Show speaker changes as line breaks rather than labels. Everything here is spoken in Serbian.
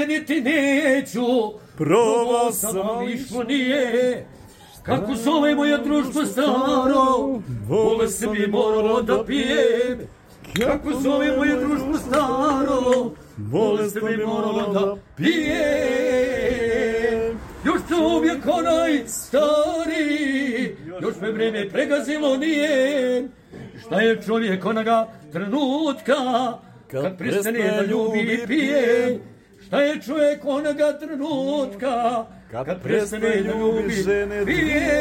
promijeniti neću.
Probao sam,
išlo nije. Kako zove moje društvo staro, bolest bi moralo da pijem. Kako zove moje društvo staro, bolest bi moralo da pijem. Još čovjek onaj stari, još me vreme pregazilo nije. Šta je čovjek onoga trenutka, kad prestane da ljubi i pije? Šta je čovjek onoga trenutka, kad prestane da ljubi i pije?